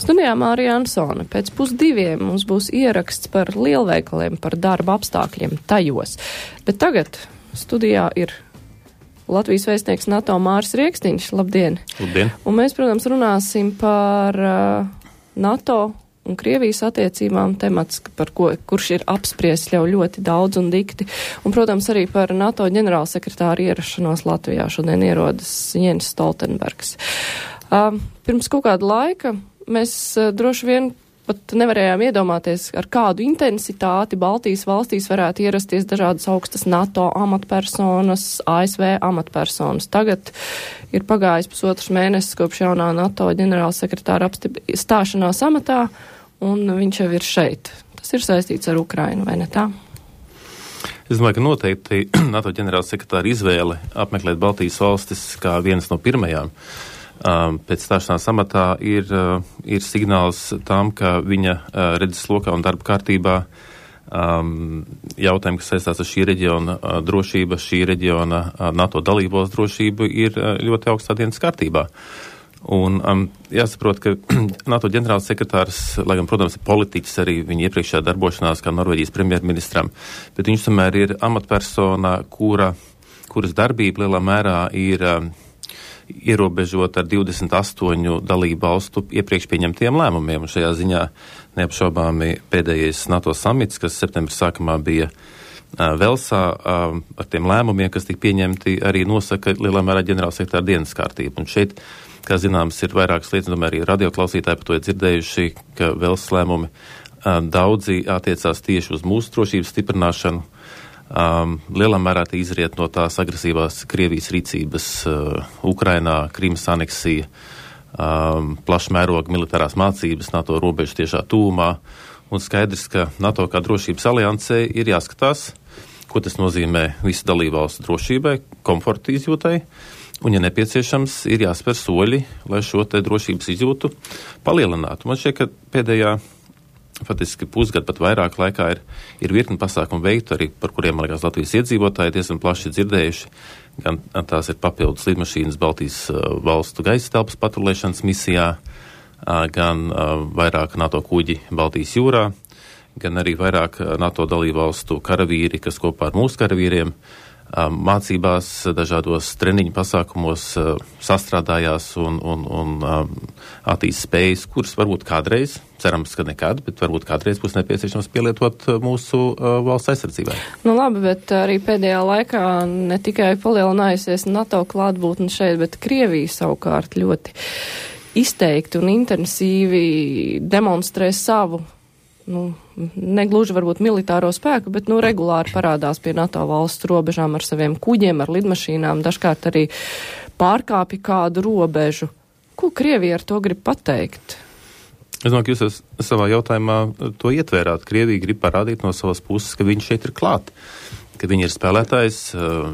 Studijā Mārija Ansone. Pēc 1:30 mums būs ieraksts par lielveikaliem, par darba apstākļiem tajos. Bet tagad studijā ir Latvijas vēstnieks NATO Māris Riekstiņš. Labdien! Labdien! Un mēs, protams, runāsim par NATO un Krievijas attiecībām, temats, kurš ir apspriests jau ļoti daudz un dikti. Un, protams, arī par NATO ģenerālsekretāru ierašanos Latvijā. Šodien ierodas Jens Stoltenbergs. Pirms kaut kāda laika mēs droši vien pat nevarējām iedomāties, ar kādu intensitāti Baltijas valstīs varētu ierasties dažādas augstas NATO amatpersonas, ASV amatpersonas. Tagad ir pagājis 1,5 mēnesis kopš jaunā NATO ģenerālsekretāra stāšanās amatā, un viņš jau ir šeit. Tas ir saistīts ar Ukrainu, vai ne tā? Es domāju, ka noteikti NATO ģenerālsekretāra izvēle apmeklēt Baltijas valstis kā vienas no pirmajām pēc stāšanās amatā ir signāls tam, ka viņa redzes lokā un darba kārtībā jautājumi, kas saistās ar šī reģiona drošību, šī reģiona NATO dalībvalstu drošību, ir ļoti augstā dienas kārtībā. Un jāsaprot, ka NATO ģenerālsekretārs, lai gan, protams, ir politiķis arī viņa iepriekšējā darbošanās kā Norvēģijas premjerministram, bet viņš tomēr ir amatpersona, kuras darbība lielā mērā ir ierobežot ar 28 dalību valstu iepriekš pieņemtiem lēmumiem. Un šajā ziņā neapšaubāmi pēdējais NATO samits, kas septembra sākumā bija Velsā, ar tiem lēmumiem, kas tika pieņemti, arī nosaka lielā mērā ģenerālsekretāra dienas kārtību. Un šeit, kā zināms, ir vairākas lietas, domāju, arī radioklausītāji par to ir dzirdējuši, ka Velsas lēmumi daudzi attiecās tieši uz mūsu drošības stiprināšanu. Lielā mērā tie izriet no tās agresīvās Krievijas rīcības Ukrainā, Krimas aneksija, plašmēroga militārās mācības NATO robežu tiešā tūmā, un skaidrs, ka NATO kā drošības aliansē ir jāskatās, ko tas nozīmē visu dalībvalstu drošībai, komforta izjūtai, un, ja nepieciešams, ir jāspēr soļi, lai šo te drošības izjūtu palielinātu. Man šķiet, ka pēdējā faktiski pusgadu pat vairāk laikā ir virkni pasākumu veiktu, arī par kuriem, man liekas, Latvijas iedzīvotāji diezgan plaši dzirdējuši. Gan tās ir papildus lidmašīnas Baltijas valstu gaisa telpas patrulēšanas misijā, gan vairāk NATO kuģi Baltijas jūrā, gan arī vairāk NATO dalībvalstu karavīri, kas kopā ar mūsu karavīriem mācībās, dažādos treniņu pasākumos sastrādājās un attīst spējas, kuras varbūt kādreiz, cerams, ka nekad, bet varbūt kādreiz būs nepieciešams pielietot mūsu valsts aizsardzībai. Nu labi, bet arī pēdējā laikā ne tikai palielinājusies NATO klātbūtne šeit, bet Krievija savukārt ļoti izteikti un intensīvi demonstrē savu, negluži varbūt militāro spēku, bet regulāri parādās pie NATO valstu robežām ar saviem kuģiem, ar lidmašīnām, dažkārt arī pārkāpja kādu robežu. Ko Krievija ar to grib pateikt? Es domāju, ka jūs savā jautājumā to ietvērāt. Krievija grib parādīt no savas puses, ka viņi šeit ir klāt, ka viņi ir spēlētājs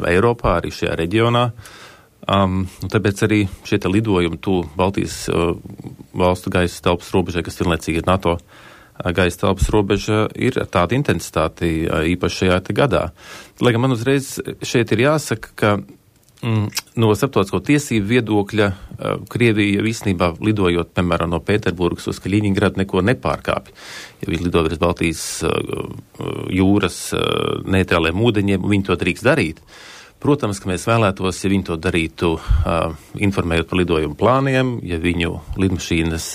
Eiropā, arī šajā reģionā. Tāpēc arī šie lidojumi Baltijas valstu gaisa telpas robežai, kas vienlaicīgi ir NATO gaisa telpas robeža, ir tāda intensitāte īpaši šajā gadā. Lai gan man uzreiz šeit ir jāsaka, ka no starptautisko tiesību viedokļa Krievija īstenībā lidojot, piemēram, no Pēterburgas uz Kaļiņingradu neko nepārkāpj. Ja viņi lido virs Baltijas jūras neitrāliem ūdeņiem, viņi to drīkst darīt. Protams, ka mēs vēlētos, ja viņi to darītu, informējot par lidojumu plāniem, ja viņu lidmašīnas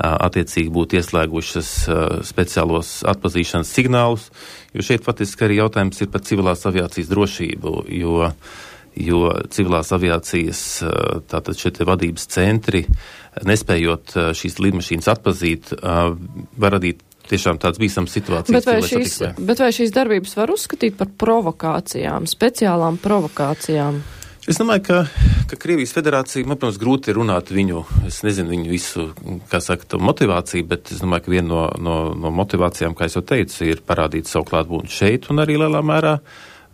attiecīgi būtu ieslēgušas speciālos atpazīšanas signālus, jo šeit faktiski arī jautājums ir par civilās aviācijas drošību, jo civilās aviācijas tātad šie vadības centri, nespējot šīs lidmašīnas atpazīt, var radīt tiešām tāds bīstams situācijas. Bet vai šīs darbības var uzskatīt par provokācijām, speciālām provokācijām? Es domāju, ka Krievijas federācija, man, protams, grūti runāt viņu visu, kā saka, motivāciju, bet es domāju, ka viena no motivācijām, kā es jau teicu, ir parādīt savu klātbūtni šeit un arī lielā mērā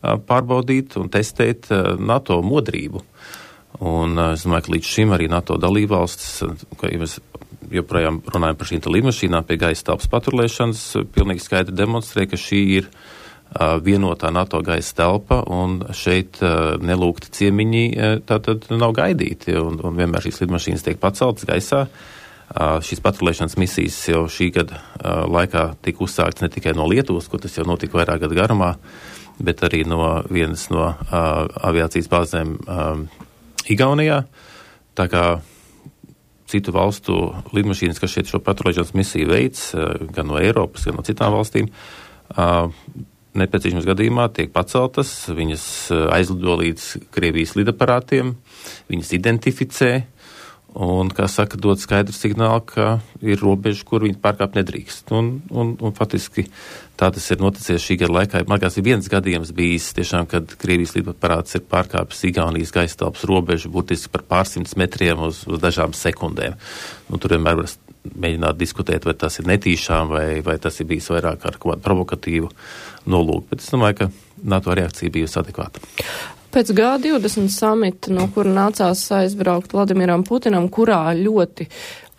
pārbaudīt un testēt NATO modrību. Un es domāju, ka līdz šim arī NATO dalībvalstis, ka mēs joprojām runājam par šīm lidmašīnām pie gaisa telpas patrulēšanas, pilnīgi skaidri demonstrē, ka šī ir vienotā NATO gaisa telpa, un šeit nelūgti ciemiņi tātad nav gaidīti, un vienmēr šīs lidmašīnas tiek paceltas gaisā, Šīs patrulēšanas misijas jau šī gada laikā tika uzsāktas ne tikai no Lietuvas, kur tas jau notika vairāk gadu garumā, bet arī no vienas no aviācijas bāzēm Igaunijā. Tā kā citu valstu lidmašīnas, kas šeit šo patrulēšanas misiju veids, gan no Eiropas, gan no citām valstīm, nepieciešams gadījumā tiek paceltas, viņas aizlido līdz Krievijas lidaparātiem, viņas identificē un, kā saka, dod skaidru signālu, ka ir robeža, kur viņi pārkāpt nedrīkst. Un faktiski tā tas ir noticies šī gada laikā. Man liekas, ir viens gadījums bijis tiešām, kad Krievijas lidaparāts ir pārkāpis Igaunijas gaisa telpas robežu burtiski par pārsimts metriem uz dažām sekundēm. Tur vienmēr var mēģināt diskutēt, vai tas ir netīšām, vai tas ir bijis vairāk ar kaut kādu provokatīvu nolūku. Bet es domāju, ka NATO reakcija bijusi adekvāta. Pēc G20 samita, no kura nācās aizbraukt Vladimiram Putinam, kurā ļoti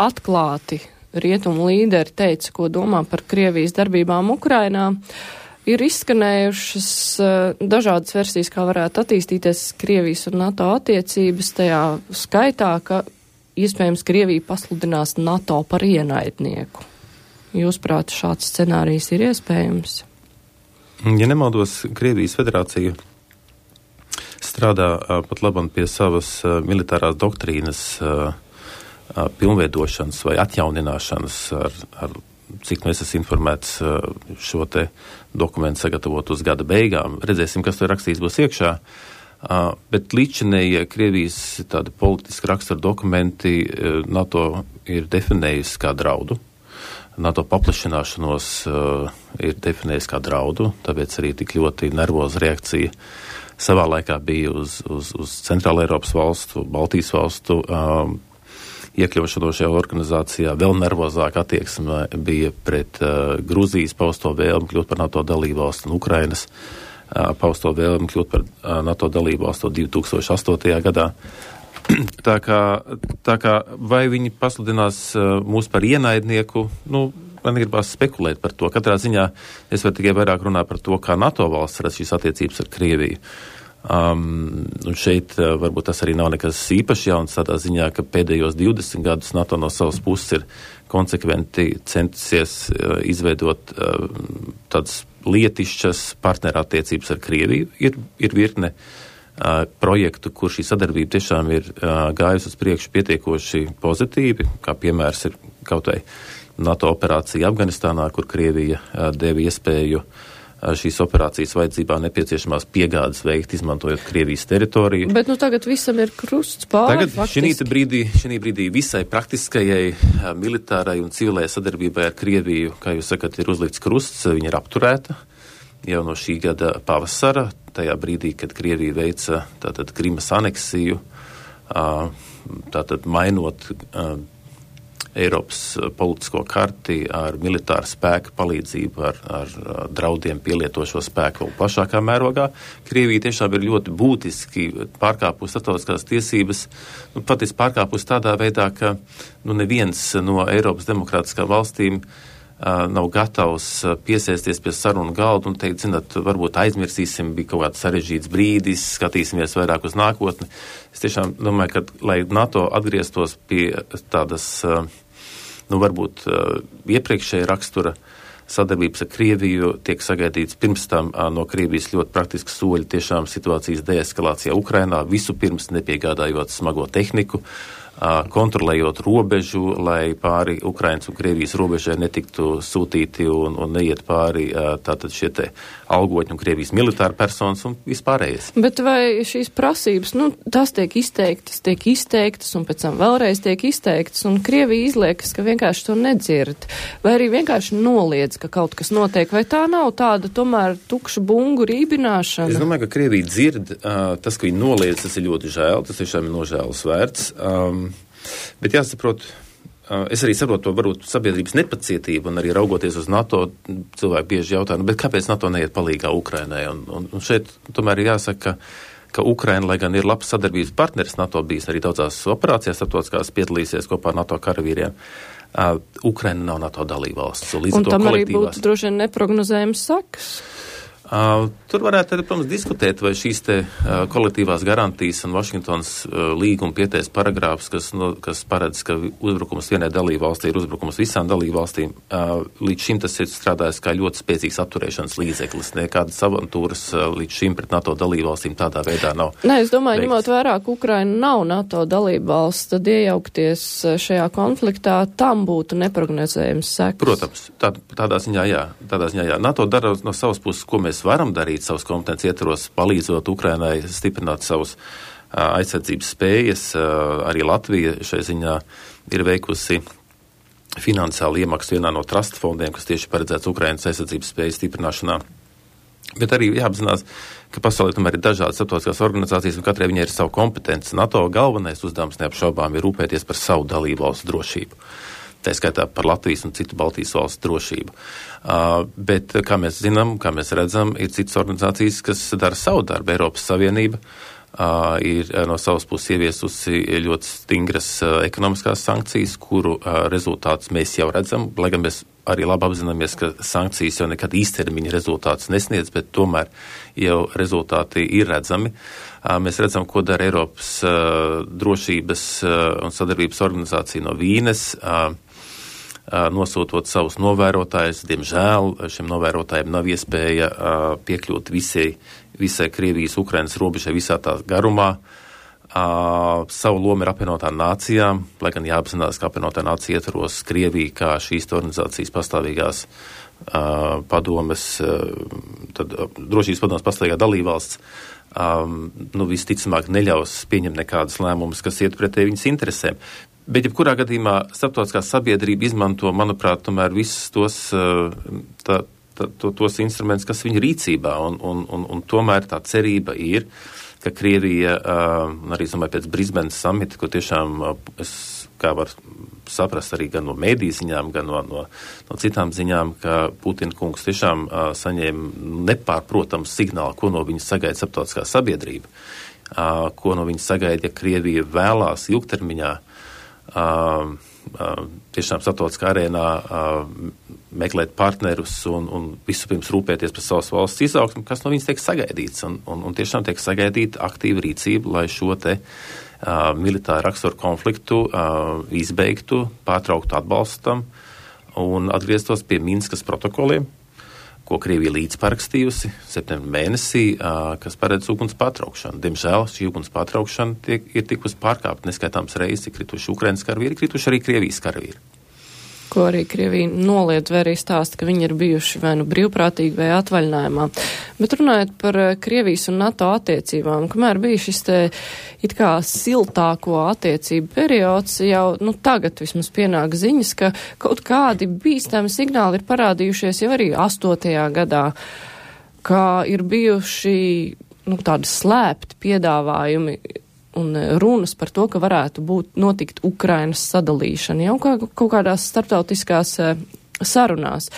atklāti rietumu līderi teica, ko domā par Krievijas darbībām Ukrainā, ir izskanējušas dažādas versijas, kā varētu attīstīties Krievijas un NATO attiecības, tajā skaitā, ka iespējams Krievija pasludinās NATO par ienaidnieku. Jūsuprāt, šāds scenārijs ir iespējams? Ja nemaldos, Krievijas federācija strādā pat labam pie savas militārās doktrīnas pilnveidošanas vai atjaunināšanas, ar cik mēs esam informēts šo te dokumentu sagatavot uz gada beigām. Redzēsim, kas tur rakstīts būs iekšā. Bet līdzinējie Krievijas tādi politiski rakstura dokumenti NATO ir definējusi kā draudu. NATO paplašināšanos ir definējusi kā draudu, tāpēc arī tik ļoti nervoza reakcija savā laikā bija uz Centrāla Eiropas valstu, Baltijas valstu iekļaušanos šajā organizācijā. Vēl nervozāk attieksme bija pret Gruzijas pausto vēlmi kļūt par NATO dalībvalstu un Ukrainas pausto vēlmi kļūt par NATO dalībvalstu 2008. gadā. Tā kā vai viņi pasludinās mūs par ienaidnieku, man gribās spekulēt par to. Katrā ziņā es varu tikai vairāk runāt par to, kā NATO valsts redz šīs attiecības ar Krieviju. Un šeit varbūt tas arī nav nekas īpaši jauns tādā ziņā, ka pēdējos 20 gadus NATO no savas puses ir konsekventi centusies izveidot tādas lietišķas partnerattiecības ar Krieviju. Ir virkne projektu, kur šī sadarbība tiešām ir gājusi uz priekšu pietiekoši pozitīvi, kā piemērs ir kaut vai NATO operācija Afganistānā, kur Krievija deva iespēju šīs operācijas vajadzībā nepieciešamās piegādes veikt, izmantojot Krievijas teritoriju. Bet tagad visam ir krusts pāri. Tagad šī brīdī visai praktiskajai militārai un civilajai sadarbībai ar Krieviju, kā jūs sakat, ir uzlikts krusts, viņa ir apturēta jau no šī gada pavasara, tajā brīdī, kad Krievija veica tātad Krimas aneksiju, tātad mainot Eiropas politisko karti ar militāru spēku palīdzību, ar draudiem pielieto šo spēku vēl plašākā mērogā. Krievija tiešām ir ļoti būtiski pārkāpusi starptautiskās tiesības, patiesi pārkāpusi tādā veidā, ka neviens no Eiropas demokrātiskām valstīm nav gatavs piesēsties pie sarunu galda un teikt, varbūt aizmirsīsim, bija kaut kāds sarežģīts brīdis, skatīsimies vairāk uz nākotni. Es tiešām domāju, ka, lai NATO atgrieztos pie tādas, varbūt iepriekšēja rakstura sadarbības ar Krieviju, tiek sagaidīts pirms tam no Krievijas ļoti praktiski soļi tiešām situācijas deeskalācijā Ukrainā, visu pirms nepiegādājot smago tehniku, kontrolējot robežu, lai pāri Ukrainas un Krievijas robežai netiktu sūtīti un neiet pāri tātad šie te algotņi un Krievijas militāri personas un vispārējais. Bet vai šīs prasības, tās tiek izteiktas un pēc tam vēlreiz tiek izteiktas un Krievija izliekas, ka vienkārši to nedzird, vai arī vienkārši noliedz, ka kaut kas notiek, vai tā nav tāda tomēr tukša bungu rībināšana? Es domāju, ka Krievija dzird, tas, ka viņi noliedz, tas ir ļoti žēl, tas tiešām ir nožēlas vērts. Bet jāsaprot, es arī saprotu to varbūt sabiedrības nepacietību un arī raugoties uz NATO, cilvēki bieži jautā, bet kāpēc NATO neiet palīgā Ukrainai? Un šeit tomēr ir jāsaka, ka Ukraina, lai gan ir labs sadarbības partneris, NATO bijis arī daudzās operācijās starptautiskās piedalīsies kopā ar NATO karavīriem. Ukraina nav NATO dalībvalsts. Un tam arī būtu droši vien neprognozējums sakas. Tur varētu, protams, diskutēt, vai šīs te kolektīvās garantijas un Vašingtonas līguma pietais paragrāfs, kas paredz, ka uzbrukums vienai dalībvalstī ir uzbrukums visām dalībvalstīm, līdz šim tas ir strādājis kā ļoti spēcīgs apturēšanas līdzeklis. Nekādas avantūras līdz šim pret NATO dalībvalstīm tādā veidā nav. Nē, es domāju, ņemot vērā, ka Ukraina nav NATO dalībvalsts, tad iejaukties šajā konfliktā tam būtu neprognozējams sekas. Protams, tādā ziņā jā. NATO dara no savas puses, ko mēs varam darīt savas kompetences ietvaros, palīdzot Ukrainai stiprināt savus aizsardzības spējas. Arī Latvija šai ziņā ir veikusi finansiālu iemaksu vienā no trust fondiem, kas tieši paredzēts Ukrainas aizsardzības spējas stiprināšanā. Bet arī jāapzinās, ka pasaulē tomēr ir dažādas starptautiskās organizācijas un katrai viņai ir savu kompetenci. NATO galvenais uzdevums neapšaubām ir rūpēties par savu dalībvalstu drošību. Tā skaitā par Latvijas un citu Baltijas valstu drošību. Bet, kā mēs zinām, kā mēs redzam, ir citas organizācijas, kas dara savu darbu. Eiropas Savienība ir no savas puses ieviesusi ļoti stingras ekonomiskās sankcijas, kuru rezultātus mēs jau redzam, lai gan mēs arī labi apzināmies, ka sankcijas jau nekad īstermiņa rezultātus nesniedz, bet tomēr jau rezultāti ir redzami. Mēs redzam, ko dara Eiropas drošības un sadarbības organizācija no Vīnes, nosūtot savus novērotājus. Diemžēl šiem novērotājiem nav iespēja piekļūt visai Krievijas, Ukrainas robežai visā tā garumā. Savu lomu ir apvienotām nācijām, lai gan jāapzinās, ka apvienotā nācija ietvaros Krievija kā šīs organizācijas pastāvīgās padomes, tad drošības padomes pastāvīgā dalībvalsts, visticamāk neļaus pieņemt nekādas lēmumus, kas iet pretēji viņas interesēm. Bet, jebkurā gadījumā, starptautiskā sabiedrība izmanto, manuprāt, tomēr visus tos instrumentus, kas viņa rīcībā, un tomēr tā cerība ir, ka Krievija, arī, domāju, pēc Brisbanes samita, ko tiešām, kā var saprast arī gan no mēdīju ziņām, gan no citām ziņām, ka Putina kungs tiešām saņēma nepārprotams signālu, ko no viņa sagaida starptautiskā sabiedrība, ko no viņa sagaida, ja Krievija vēlās ilgtermiņā tiešām starptautiskā arēnā meklēt partnerus un vispirms rūpēties par savas valsts izaugsmu, kas no viņas tiek sagaidīts. Un tiešām tiek sagaidīta aktīva rīcība, lai šo te militāru raksturu konfliktu izbeigtu, pārtrauktu atbalstam un atgrieztos pie Minskas protokoliem, ko Krievija līdzparakstījusi septembrī mēnesī, kas paredz uguns pārtraukšanu. Diemžēl šī uguns pārtraukšana ir tikusi pārkāpta neskaitāms reizes, ir krituši Ukrainas karavīri, krituši arī Krievijas karavīri. Ko arī Krievija noliedz vai arī stāsta, ka viņi ir bijuši vai nu brīvprātīgi vai atvaļinājumā. Bet runājot par Krievijas un NATO attiecībām, kamēr bija šis te it kā siltāko attiecību periods, jau tagad vismaz pienāk ziņas, ka kaut kādi bīstami signāli ir parādījušies jau arī 8. gadā, kā ir bijuši tādi slēpti piedāvājumi un runas par to, ka varētu notikt Ukrainas sadalīšana jau kaut kādās starptautiskās sarunās.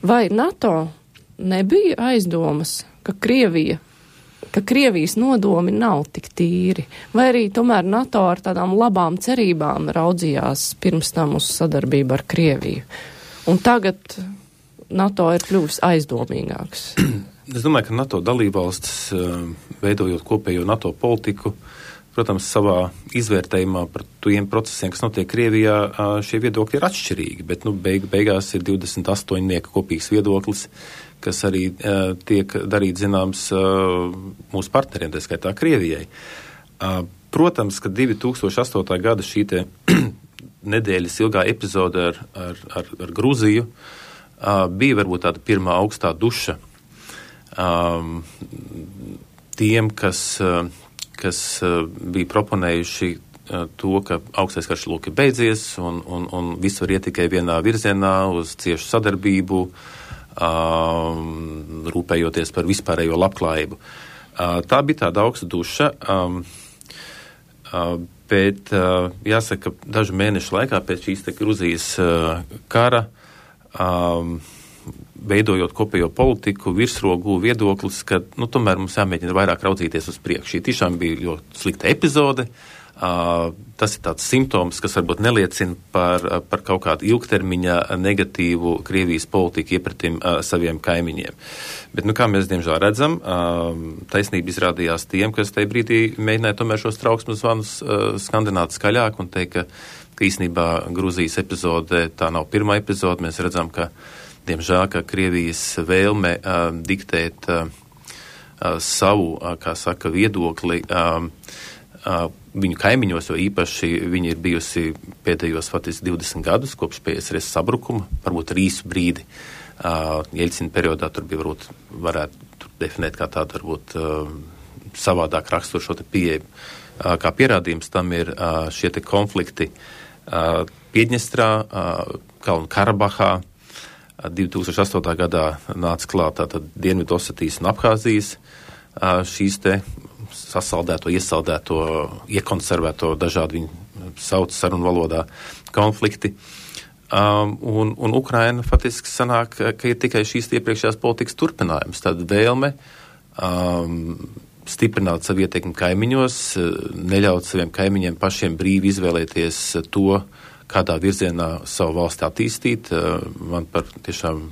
Vai NATO nebija aizdomas, ka Krievijas nodomi nav tik tīri? Vai arī tomēr NATO ar tādām labām cerībām raudzījās pirms tam uz sadarbību ar Krieviju? Un tagad NATO ir kļuvis aizdomīgāks. Es domāju, ka NATO dalībvalstis, veidojot kopējo NATO politiku, protams, savā izvērtējumā par tiem procesiem, kas notiek Krievijā, šie viedokļi ir atšķirīgi, bet beigās ir 28 kopīgs viedoklis, kas arī tiek darīt zināms mūsu partneriem, tā skaitā Krievijai. Protams, ka 2008. gada šī te nedēļas ilgā epizode ar Gruziju bija varbūt tāda pirmā augstā duša tiem, kas bija proponējuši to, ka augstais karš lūk ir beidzies un viss var iet tikai vienā virzienā uz ciešu sadarbību, rūpējoties par vispārējo labklājību. Tā bija tāda augsta duša, bet jāsaka, dažu mēnešu laikā pēc šīs te Gruzijas kara, veidojot kopējo politiku, virsrogu viedoklis, ka tomēr mums jāmēģina vairāk raudzīties uz priekšu. Šī tiešām bija ļoti slikta epizode, Tas ir tāds simptoms, kas varbūt neliecina par kaut kādu ilgtermiņa negatīvu Krievijas politiku iepratim saviem kaimiņiem. Bet, kā mēs diemžēl redzam, taisnība izrādījās tiem, kas tajā brīdī mēģināja tomēr šos trauksmes zvanus skandināt skaļāk un teikt, ka īstenībā Gruzijas epizode tā nav pirmā epizode. Mēs redzam, ka, diemžēl, ka Krievijas vēlme diktēt savu, kā saka, viedokli viņu kaimiņos, jo īpaši viņi ir bijusi pēdējos faktiski 20 gadus kopš PSRS sabrukuma, varbūt ar īsu brīdi. Jeļcina periodā tur bija varētu definēt kā tādu varbūt savādāk raksturu šo te pieeju. Kā pierādījums tam ir šie te konflikti Piedņestrā, Kalnu Karabahā. 2008. gadā nāca klāt tātad Dienvidosetijas un Abhāzijas šīs te sasaldēto, iesaldēto, iekonservēto dažādi viņu sauc sarunu valodā konflikti. Un Ukraina faktiski sanāk, ka ir tikai šīs iepriekšējās politikas turpinājums. Tad vēlme stiprināt savu ietekmi kaimiņos, neļaut saviem kaimiņiem pašiem brīvi izvēlēties to, kādā virzienā savu valsti attīstīt. Man par tiešām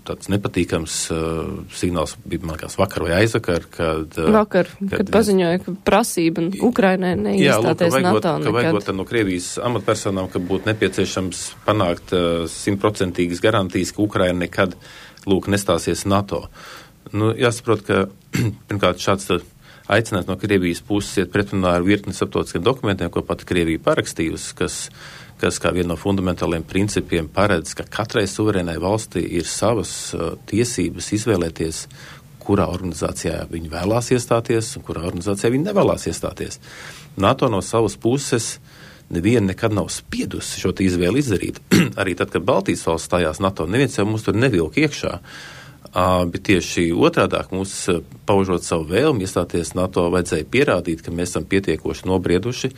tāds nepatīkams signāls bija, man liekas, vakar vai aizvakar, kad paziņoja, ka prasība Ukrainai neiestāties NATO nekad. Ka vajagot no Krievijas amatpersonām, ka būtu nepieciešams panākt 100% garantijas, ka Ukraina nekad, nestāsies NATO. Jāsaprot, ka pirmkārt šāds aicinājums no Krievijas puses iet pretrunā ar virkni starptautiskiem dokumentiem, ko pati Krievija parakstījusi, kas kā viena no fundamentāliem principiem paredz, ka katrai suverēnai valstī ir savas tiesības izvēlēties, kurā organizācijā viņi vēlās iestāties un kurā organizācijā viņi nevēlās iestāties. NATO no savas puses neviena nekad nav spiedusi šo izvēli izdarīt. Arī tad, kad Baltijas valsts stājās NATO, neviens jau mums tur nevilka iekšā. Bet tieši otrādāk mums, paužot savu vēlmi iestāties NATO, vajadzēja pierādīt, ka mēs esam pietiekoši nobrieduši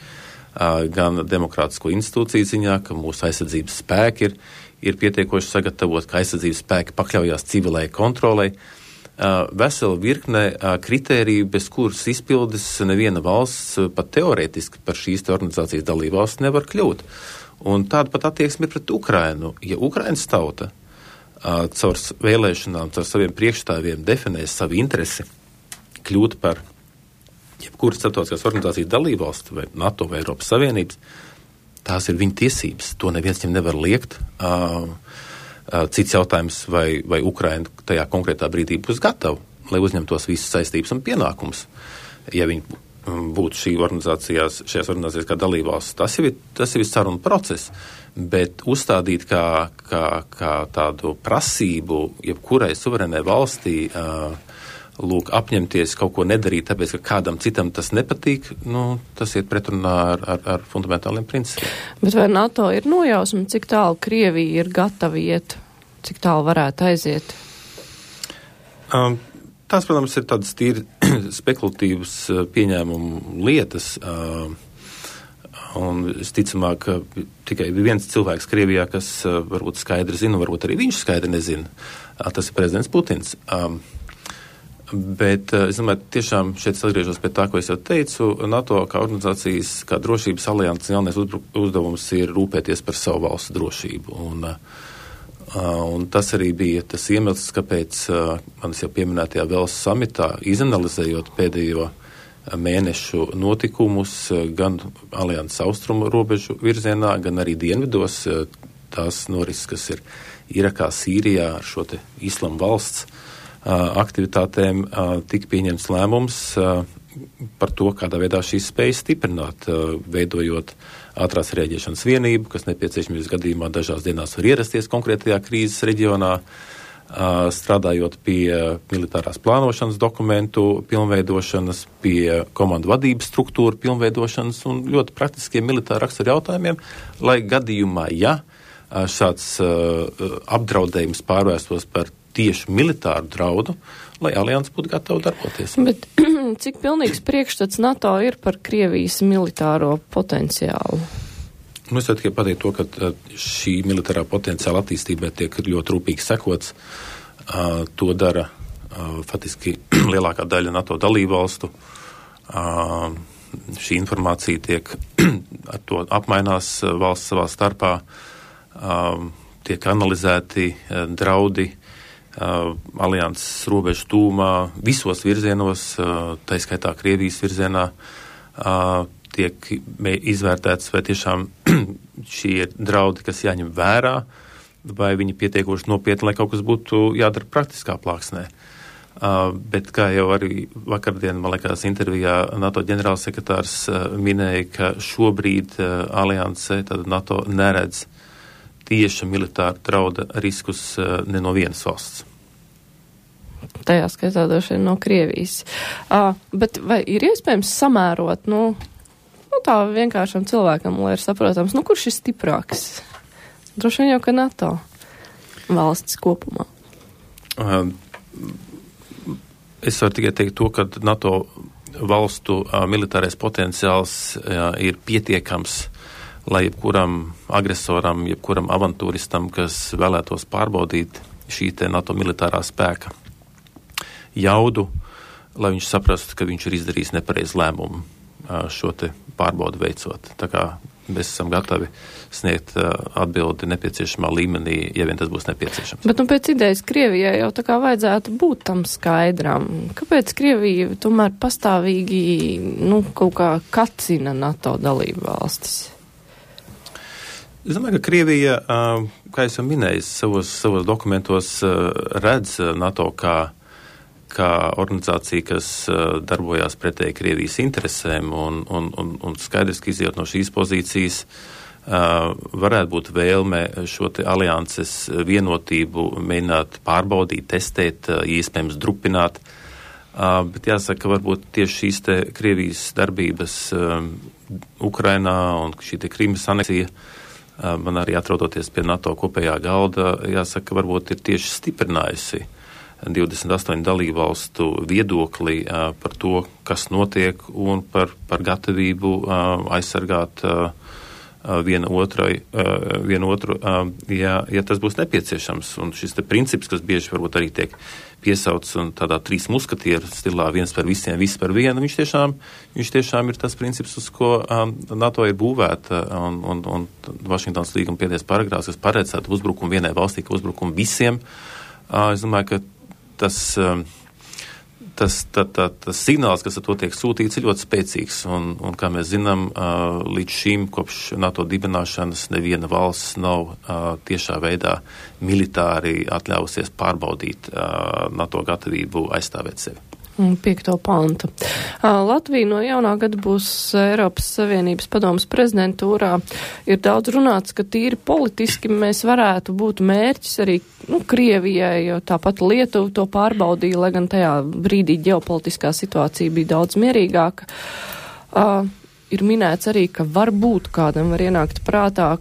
gan demokrātisko institūciju ziņā, ka mūsu aizsardzības spēki ir pietiekoši sagatavot, ka aizsardzības spēki pakļaujās civilai kontrolei. Vesela virkne kritēriju, bez kuras izpildes neviena valsts pat teorētiski par šīs organizācijas dalībvalsts nevar kļūt. Un tāda pat attieksme ir pret Ukrainu. Ja Ukrainas tauta caur vēlēšanām, caur saviem priekšstāviem definēs savu interesi kļūt par jebkuras starptautiskās organizācijas dalībvalsts vai NATO vai Eiropas Savienības, tās ir viņa tiesības. To neviens viņam nevar liekt. Cits jautājums, vai Ukraina tajā konkrētā brīdī būs gatava, lai uzņemtos visas saistības un pienākumus. Ja viņi būtu šajās organizācijās kā dalībvalsts, tas ir saruna process. Bet uzstādīt kā tādu prasību jebkurai suverēnai valstī apņemties kaut ko nedarīt, tāpēc, ka kādam citam tas nepatīk, tas ir pretrunā ar fundamentāliem principiem. Bet vai NATO ir nojausma, cik tālu Krievija ir gatava iet, cik tālu varētu aiziet? Tās, protams, ir tādas tīri spekulatīvas pieņēmumu lietas, un es ticamāk, ka tikai viens cilvēks Krievijā, kas varbūt skaidri zina, varbūt arī viņš skaidri nezina, tas ir prezidents Putins. Bet, es domāju, tiešām šeit atgriežos pie tā, ko es jau teicu, NATO kā organizācijas, kā drošības alianses galvenais uzdevums ir rūpēties par savu valstu drošību. Un tas arī bija tas iemesls, kāpēc manis jau pieminētajā Velsas samitā, izanalizējot pēdējo mēnešu notikumus gan alianses austrumu robežu virzienā, gan arī dienvidos, tās norises, kas ir Irakā, Sīrijā ar šo te Islama valsts aktivitātēm, tika pieņemts lēmums par to, kādā veidā šīs spējas stiprināt, veidojot ātrās rēģēšanas vienību, kas nepieciešamības gadījumā dažās dienās var ierasties konkrētajā krīzes reģionā, strādājot pie militārās plānošanas dokumentu pilnveidošanas, pie komandu vadības struktūru pilnveidošanas un ļoti praktiskiem militāra rakstura jautājumiem, lai gadījumā, ja šāds apdraudējums pārvērstos par tieši militāru draudu, lai alianses būtu gatava darboties. Bet cik pilnīgs priekšstats NATO ir par Krievijas militāro potenciālu? Es jau tikai pateiktu to, ka šī militārā potenciāla attīstībai tiek ļoti rūpīgi sekots. To dara faktiski lielākā daļa NATO dalībvalstu. šī informācija tiek ar to apmainās valsts savā starpā, tiek analizēti draudi alianses robežu tūmā visos virzienos, tā skaitā Krievijas virzienā, tiek izvērtēts, vai tiešām šie draudi, kas jāņem vērā, vai viņi pietiekoši nopietni, lai kaut kas būtu jādara praktiskā plāksnē. Bet kā jau arī vakardien, man liekas, intervijā NATO ģenerālsekretārs minēja, ka šobrīd alianse, tad NATO neredz tieša militāra drauda riskus ne no vienas valsts. Tajā skaitā droši vien no Krievijas. Bet vai ir iespējams samērot, tā vienkāršam cilvēkam, lai ir saprotams, kurš ir stiprāks? Droši vien jau, ka NATO valstis kopumā. Es varu tikai teikt to, ka NATO valstu militārais potenciāls ir pietiekams, lai jebkuram agresoram, jebkuram avantūristam, kas vēlētos pārbaudīt šī te NATO militārā spēka jaudu, lai viņš saprastu, ka viņš ir izdarījis nepareizu lēmumu šo te pārbaudu veicot. Tā kā mēs esam gatavi sniegt atbildi nepieciešamā līmenī, ja vien tas būs nepieciešams. Bet pēc idejas Krievijai jau tā kā vajadzētu būt tam skaidram. Kāpēc Krievija tomēr pastāvīgi kaut kā kacina NATO dalību valstis? Es domāju, ka Krievija, kā es jau minēju, savos dokumentos redz NATO kā organizācija, kas darbojās pretēji Krievijas interesēm un skaidrs, ka izjūt no šīs pozīcijas varētu būt vēlme šo te alianses vienotību mēģināt pārbaudīt, testēt, iespējams drupināt, bet jāsaka, ka varbūt tieši šīs te Krievijas darbības Ukrainā un šī te Krimas aneksija, man arī atrodoties pie NATO kopējā galda, jāsaka, varbūt ir tieši stiprinājusi 28 dalībvalstu viedokli par to, kas notiek un par gatavību aizsargāt vienu otru, ja tas būs nepieciešams. Un šis te princips, kas bieži varbūt arī tiek piesauts un tādā trīs muskatieru stilā, viens par visiem, viss par vienu, viņš tiešām ir tas princips, uz ko NATO ir būvēta un Vašingtonas līguma pēdējais paragrāfs, kas paredzētu uzbrukumu vienai valstī, ka uzbrukumu visiem. Es domāju, ka tas signāls, kas ar to tiek sūtīts, ir ļoti spēcīgs. Un kā mēs zinām, līdz šim, kopš NATO dibināšanas, neviena valsts nav tiešā veidā militāri atļausies pārbaudīt NATO gatavību aizstāvēt sevi. 5. pantu. Latvija no jaunā gada būs Eiropas Savienības padomas prezidentūrā. Ir daudz runāts, ka tīri politiski mēs varētu būt mērķis arī Krievijai, jo tāpat Lietuva to pārbaudīja, lai gan tajā brīdī ģeopolitiskā situācija bija daudz mierīgāka. Ir minēts arī, ka varbūt kādam var ienākt prātā,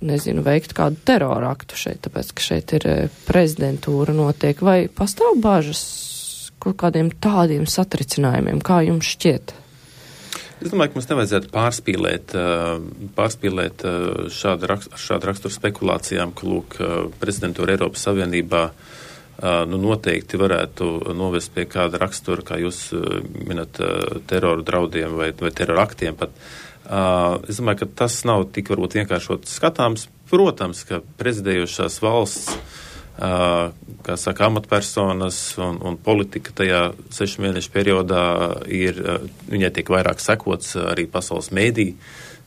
veikt kādu teroraktu šeit, tāpēc, ka šeit ir prezidentūra notiek. Vai pastāv bažas kaut kādiem tādiem satricinājumiem, kā jums šķiet? Es domāju, ka mums nevajadzētu pārspīlēt šādu raksturu spekulācijām, ka, prezidentūra Eiropas Savienībā noteikti varētu novest pie kāda rakstura, kā jūs minat, teroru draudiem vai teroraktiem pat. Es domāju, ka tas nav tik varbūt vienkāršot skatāms. Protams, ka prezidējošās valsts kā saka, amatpersonas un politika tajā 6 mēnešu periodā viņai tiek vairāk sekots, arī pasaules mēdī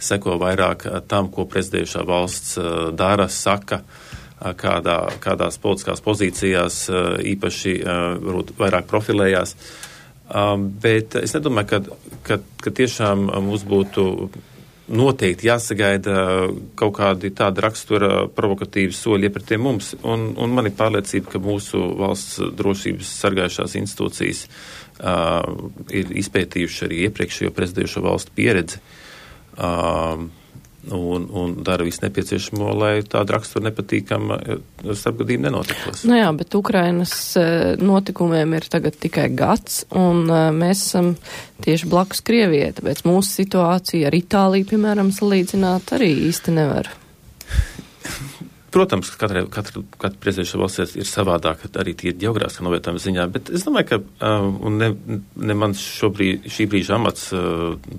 seko vairāk tam, ko prezidējušā valsts dara, saka, kādās politiskās pozīcijās īpaši varbūt vairāk profilējās. Bet es nedomāju, ka tiešām mums būtu noteikti jāsagaida kaut kādi tāda rakstura provokatīvi soļi iepratiem mums, un man ir pārliecība, ka mūsu valsts drošības sargājušās institūcijas ir izpētījuši arī iepriekšējo prezidējušo valstu pieredzi un dara visu nepieciešamo, lai tāda rakstura nepatīkama starpgadījuma nenotikos. Jā, bet Ukrainas notikumiem ir tagad tikai gads, un mēs esam tieši blakus Krievijai, tāpēc mūsu situācija ar Itāliju, piemēram, salīdzināt arī īsti nevar. Protams, ka katra prezidentūra valsts ir savādāka arī tie ģeogrāfiskā novietojuma ziņā, bet es domāju, ka ne mans šī brīža amats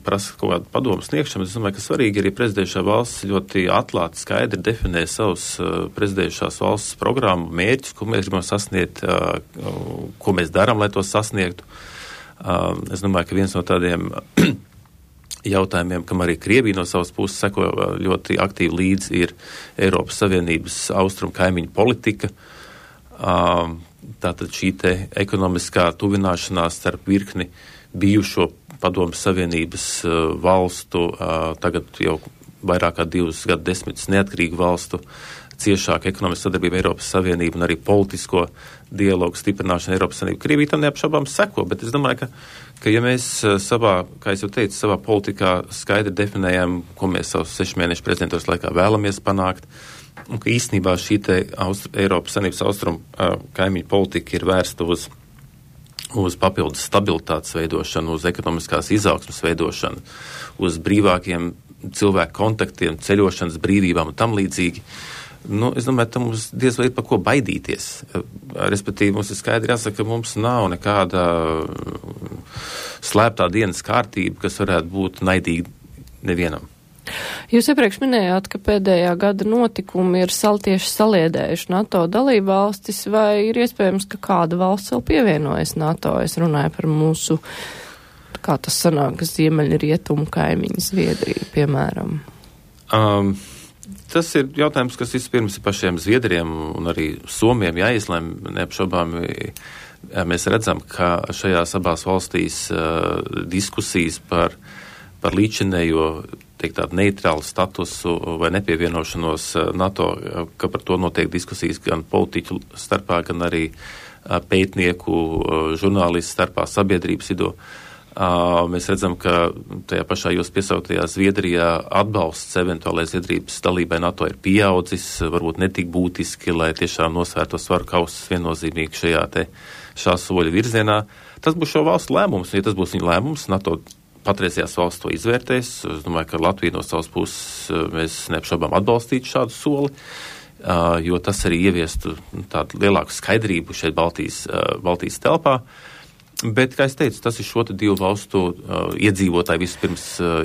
prasa kaut kādu padomu sniegšanu. Es domāju, ka svarīgi arī prezidentūra valsts ļoti atklāti, skaidri definē savus prezidentūras valsts programmu, mērķus, ko mēs gribam sasniegt, ko mēs darām, lai to sasniegtu. Es domāju, ka viens no tādiem jautājumiem, kam arī Krievija no savas puses seko ļoti aktīvi līdzi, ir Eiropas Savienības austrumu kaimiņu politika. Tātad šī te ekonomiskā tuvināšanās starp virkni bijušo Padomes Savienības valstu, tagad jau vairāk kā 2 gadsimtus neatkarīgu valstu, ciešāka ekonomiska sadarbība Eiropas Savienība un arī politisko dialogu stiprināšana Eiropas Savienība. Krievija tam neapšaubām seko, bet es domāju, ka ja mēs savā, kā es jau teicu, savā politikā skaidri definējam, ko mēs savus 6 mēnešu prezidentūras laikā vēlamies panākt, un ka īstenībā šī te Eiropas Savienības austrumu kaimiņu politika ir vērsta uz papildus stabilitātes veidošanu, uz ekonomiskās izaugsmas veidošanu, uz brīvākiem cilvēku kontaktiem, ceļošanas brīvībām un tam līdzīgi. Es domāju, ka mums diez vai ir par ko baidīties. Respektīvi, mums ir skaidri jāsaka, ka mums nav nekāda slēptā dienas kārtība, kas varētu būt naidīga nevienam. Jūs iepriekš minējāt, ka pēdējā gada notikumi ir tieši saliedējuši NATO dalību valstis, vai ir iespējams, ka kāda valsts vēl pievienojas NATO? Es runāju par mūsu, kā tas sanāk, ziemeļrietumu kaimiņu Zviedriju, piemēram. Tas ir jautājums, kas vispirms ir pašiem Zviedriem un arī Somiem jāizlem. Neapšaubāmi mēs redzam, ka šajās abās valstīs diskusijas par līdzinējo, teikt tādu neitrālu statusu vai nepievienošanos NATO, ka par to notiek diskusijas gan politiķu starpā, gan arī pētnieku, žurnālistu starpā, sabiedrības vidū. Mēs redzam, ka tajā pašā jūs piesauktajā Zviedrijā atbalsts eventuālai Zviedrijas dalībai NATO ir pieaudzis, varbūt netik būtiski, lai tiešām nosvērto svaru kausus viennozīmīgi šā soļa virzienā. Tas būs šo valstu lēmums, ja tas būs viņa lēmums, NATO patreizējās valsts to izvērtēs. Es domāju, ka Latvija no savas puses mēs neapšaubām atbalstītu šādu soli, jo tas arī ieviestu tādu lielāku skaidrību šeit Baltijas telpā. Bet, kā es teicu, tas ir šo te 2 valstu iedzīvotāju vispirms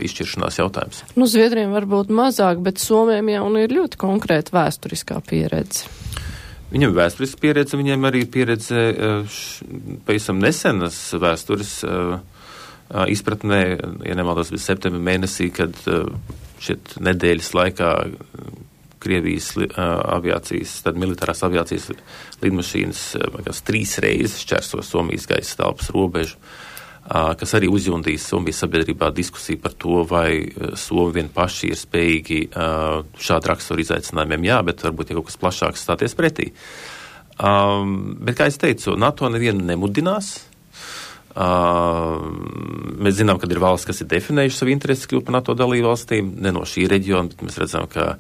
izšķiršanās jautājums. Zviedriem varbūt mazāk, bet Somiem jau ir ļoti konkrēta vēsturiskā pieredze. Viņam ir vēsturiska pieredze, viņiem arī pieredze pavisam nesenas vēstures izpratnē, ja nemaldos, bija septembra mēnesī, kad šeit nedēļas laikā Krievijas aviācijas, tad militārās aviācijas lidmašīnas 3 reizes šķērso Somijas gaisa telpas robežu, kas arī uzjundīs Somijas sabiedrībā diskusiju par to, vai Somi vien paši ir spējīgi šādu raksturu izaicinājumiem, jā, bet varbūt ja kaut kas plašāks stāties pretī. Bet, kā es teicu, NATO nevienu nemudinās. Mēs zinām, ka ir valsts, kas ir definējuši savu interesi kļūt par NATO dalību valstīm, ne no šī reģiona, bet mēs redzam, ka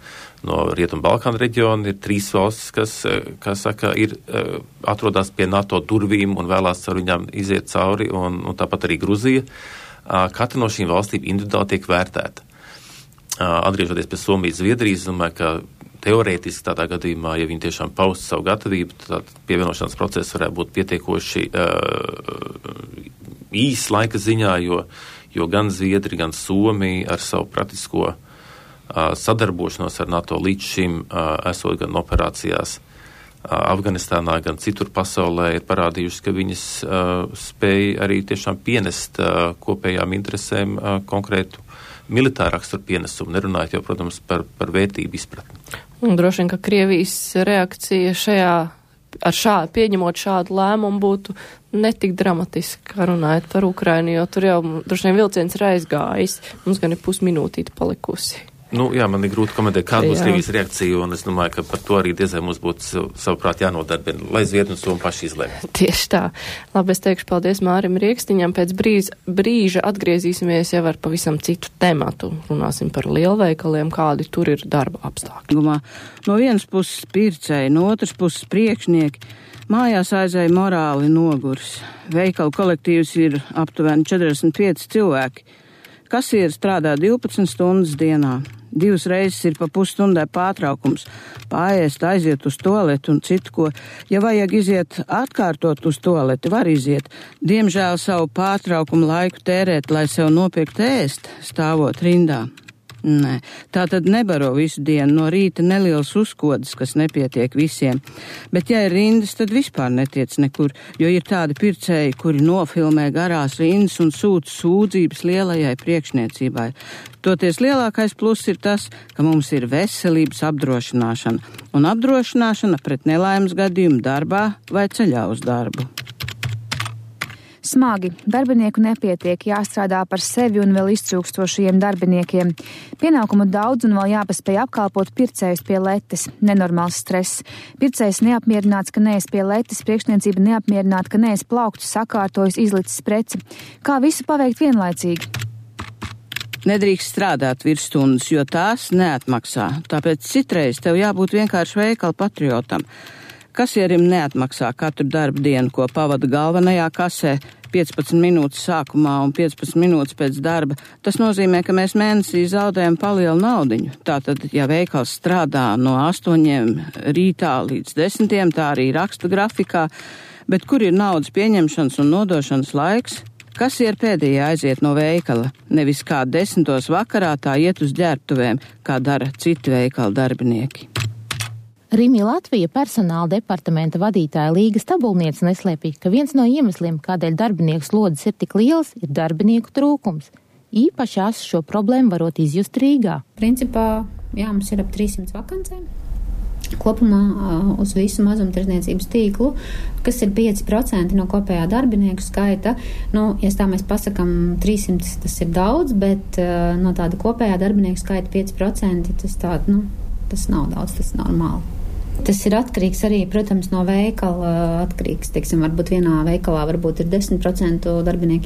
no Rietumu Balkānu reģiona ir 3 valstis, kas saka, atrodas pie NATO durvīm un vēlās ar viņām iziet cauri, un tāpat arī Gruzija. Katra no šīm valstīm individuāli tiek vērtēta. Atgriežoties pie Somijas, Zviedrijas, domāju, ka teorētiski tādā gadījumā, ja viņi tiešām paust savu gatavību, tad pievienošanās process varētu būt pietiekoši īs laika ziņā, jo gan Zviedri, gan Somi ar savu praktisko sadarbošanos ar NATO līdz šim esot gan operācijās Afganistānā, gan citur pasaulē ir parādījuši, ka viņas spēja arī tiešām pienest kopējām interesēm konkrētu militāru raksturu pienesumu, nerunājot jau, protams, par vērtību izpratni. Un droši vien, ka Krievijas reakcija pieņemot šādu lēmumu būtu netik dramatiski, kā runājot par Ukrainu, jo tur jau droši vien vilciens ir aizgājis, mums gan ir pusminūtīte palikusi. Jā, man ir grūti komentēt, kāda būs Krievijas reakcija, un es domāju, ka par to arī diezai mums būtu savuprāt jānodarbina, lai Zviedri un Somi paši izlēma. Tieši tā. Labi, es teikšu paldies Mārim Riekstiņam. Pēc brīža atgriezīsimies jau ar pavisam citu tematu. Runāsim par lielveikaliem, kādi tur ir darba apstākļi. No vienas puses pircēji, no otras puses priekšnieki. Mājās aizēja morāli nogurs. Veikalu kolektīvs ir aptuveni 45 cilvēki. Kasieri strādā 12 stundas dienā. 2 reizes ir pa pusstundai pārtraukums, pāriest, aiziet uz tualeti un citu ko. Ja vajag iziet atkārtot uz tualeti, var iziet. Diemžēl savu pārtraukumu laiku tērēt, lai sev nopirkt ēst, stāvot rindā. Nē, tā tad nebaro visu dienu, no rīta neliels uzkodas, kas nepietiek visiem. Bet ja ir rindas, tad vispār netiec nekur, jo ir tādi pircēji, kuri nofilmē garās rindas un sūta sūdzības lielajai priekšniecībai. Toties lielākais pluss ir tas, ka mums ir veselības apdrošināšana un apdrošināšana pret nelaimes gadījumu darbā vai ceļā uz darbu. Smagi, darbinieku nepietiek, jāstrādā par sevi un vēl iztrūkstošajiem darbiniekiem. Pienākumu daudz un vēl jāpaspēj apkalpot pircējus pie letes. Nenormāls stress. Pircējs neapmierināts, ka nees pie letes, priekšniecība neapmierināta, ka nees plauktu sakārtojas, izlicis preci. Kā visu paveikt vienlaicīgi? Nedrīkst strādāt virsstundas, jo tās neatmaksā. Tāpēc citreiz tev jābūt vienkārši veikala patriotam. Kasierim neatmaksā katru darba dienu, ko pavada galvenajā kasē 15 minūtes sākumā un 15 minūtes pēc darba. Tas nozīmē, ka mēs mēnesī zaudējam palielu naudiņu. Tātad, ja veikals strādā no 8 rītā līdz 10, tā arī raksta grafikā, bet kur ir naudas pieņemšanas un nodošanas laiks? Kasieri pēdējie aiziet no veikala, nevis kā 10 vakarā tā iet uz ģērbtuvēm, kā dara citi veikala darbinieki. Rimi Latvija personāla departamenta vadītāja Līga Stabulniece neslēpj, ka viens no iemesliem, kādēļ darbinieku slodzes ir tik liels, ir darbinieku trūkums. Īpaši ās šo problēmu varot izjust Rīgā. Principā, jā, mums ir ap 300 vakancēm. Kopumā uz visu mazumtirdzniecības tīklu, kas ir 5% no kopējā darbinieku skaita. Nu, ja tā mēs pasakam 300, tas ir daudz, bet no tāda kopējā darbinieku skaita 5%, tas nav daudz, tas ir normāli. Tas ir atkarīgs arī, protams, no veikala. Atkarīgs, teiksim, varbūt vienā veikalā varbūt ir 10% darbinieku